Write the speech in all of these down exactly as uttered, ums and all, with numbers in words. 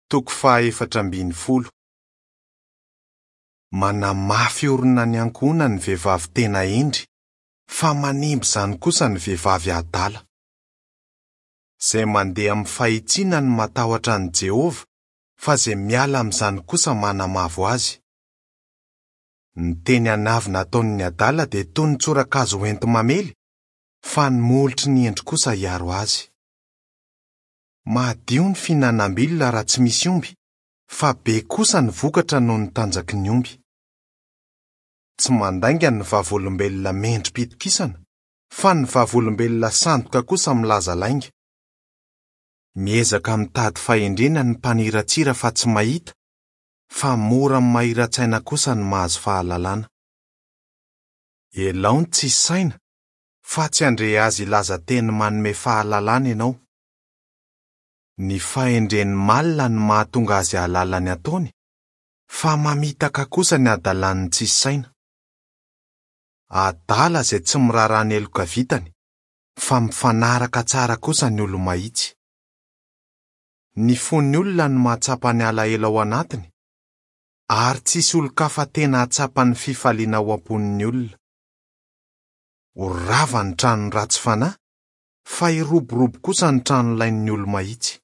Toko fahaefatra ambin'ny folo. Manamafy orina ny ankohonany ny vehivavy tena hendry, fa manimba izany kosa ny vehivavy adala. Izay mandeha amin'ny fahitsiana no matahotra an'i Jehovah, fa izay miala amin'izany kosa manamavo azy. Ny teny anavina ataon'ny adala dia toy ny tsorakazo hoenti-mamely, fa ny molotry ny hendry kosa hiaro azy. Madio ny fihinanam-bilona raha tsy misy omby, fa be kosa ny vokatra noho ny tanjaky ny omby. Tsy mandainga ny vavolombelona mendri-pitokisana, fa ny vavolombelona sandoka kosa milaza lainga. Miezaka mitady fahendrena ny mpaniratsira fa tsy mahita, fa mora amin'ny mahira-tsaina kosa ny mahazo fahalalana. Ialao ny tsisy saina, fa tsy handre azy hilaza teny manome fahalalana ianao. Ny fahendren'ny malina no mahatonga azy hahalala ny ataony, fa mamitaka kosa ny hadalan'ny tsisy saina. Adala izay tsy miraharaha ny heloka vitany, fa mifanaraka tsara kosa ny olo-mahitsy. Ny fon'ny olona no mahatsapa ny alahelo ao anatiny, ary tsisy olon-kafa tena hahatsapa ny fifaliana ao am-pon'ny olona. Ho rava ny tranon'ny ratsy fanahy, fa hiroborobo kosa ny tranolain'ny olo-mahitsy.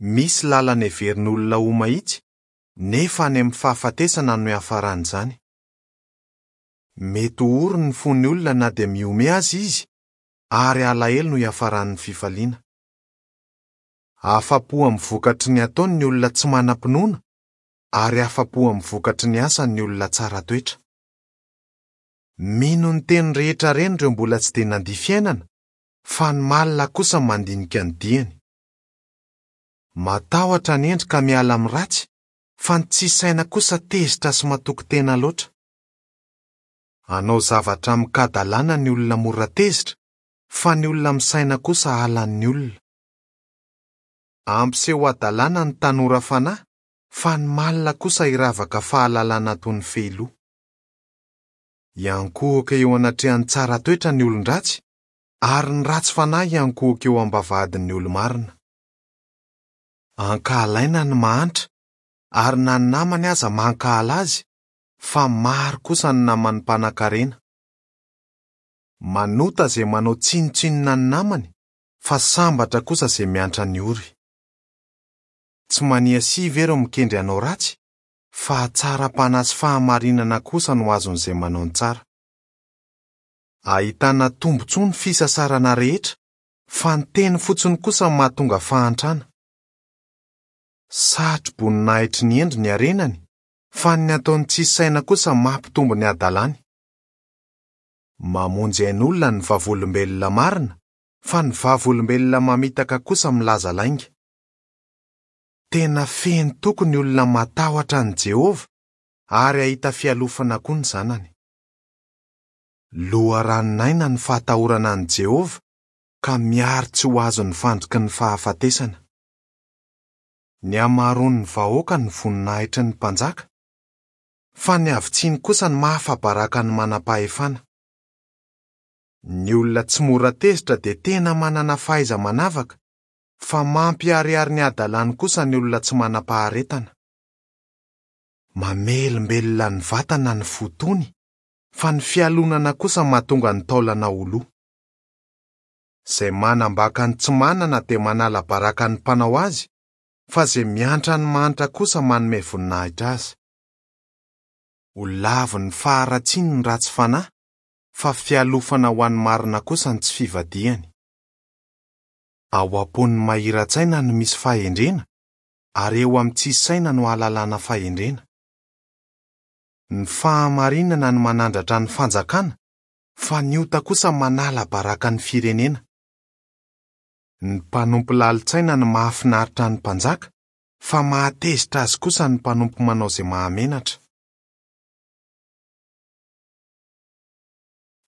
Misy lalana heverin'olona ho mahitsy, nefa any amin'ny fahafatesana no hiafaran'izany. Mety ho ory ny fon'ny olona na dia mihomehy aza izy, ary alahelo no hiafaran'ny fifaliana. Afa-po amin'ny vokatry ny ataony ny olona tsy manam-pinoana, ary afa-po amin'ny vokatry ny asany ny olona tsara toetra. Mino ny teny rehetra reny ireo mbola tsy dia nandia fiainana, fa ny malina kosa mandinika ny diany. Matahotra ny hendry ka miala amin'ny ratsy, fa ny tsisy saina kosa tezitra sy matoky tena loatra. Hanao zavatra amin-kadalana ny olona mora tezitra, fa ny olona misaina kosa halan'ny olona. Hampiseho hadalana ny tanora fanahy, fa ny malina kosa hiravaka fahalalana toy ny fehiloha. Hiankohoka eo anatrehan'ny tsara toetra ny olon-dratsy, ary ny ratsy fanahy hiankohoka eo am-bavahadin'ny olo-marina. Ankahalaina ny mahantra, ary na ny namany aza mankahala azy, fa maro kosa ny naman'ny mpanankarena. Manota izay manao tsinontsinona ny namany, fa sambatra kosa izay miantra ny ory. Tsy maniasia ve ireo mikendry hanao ratsy, fa hatsaram-panahy sy fahamarinana kosa no azon'izay manao ny tsara. Ahitana tombontsoa ny fisasarana rehetra, fa ny teny fotsiny kosa no mahatonga fahantrana. Satro-boninahitry ny hendry ny harenany, fa ny ataon'ny tsisy saina kosa mampitombo ny hadalany. Mamonjy ain'olona ny vavolombelona marina, fa ny vavolombelona mamitaka kosa milaza lainga. Tena feno toky ny olona matahotra an'i Jehovah, ary hahita fialofana koa ny zanany. Loharanon'aina ny fahatahorana an'i Jehovah, ka miaro tsy ho azon'ny fandriky ny fahafatesana. Ny hamaroan'ny vahoaka no voninahitry ny mpanjaka, fa ny havitsiany kosa no mahafa-baraka ny manam-pahefana. Ny olona tsy mora tezitra dia tena manana fahaiza-manavaka, fa mampiharihary ny hadalany kosa ny olona tsy manam-paharetana. Mamelombelona ny vatana ny fo tony, fa ny fialonana kosa mahatonga ny taolana ho lo. Izay manambaka ny tsy manana dia manala baraka ny mpanao azy, fa izay miantra ny mahantra kosa manome voninahitra azy. Ho lavin'ny faharatsiany ny ratsy fanahy, fa fialofana ho an'ny marina kosa ny tsy fivadihany. Ao am-pon'ny mahira-tsaina no misy fahendrena, ary eo amin'ny tsisy saina no ahalalana fahendrena. Ny fahamarinana no manandratra ny fanjakana, fa ny ota kosa manala baraka ny firenena. Ny mpanompo lalin-tsaina no mahafinaritra ny mpanjaka, fa mahatezitra azy kosa ny mpanompo manao izay mahamenatra.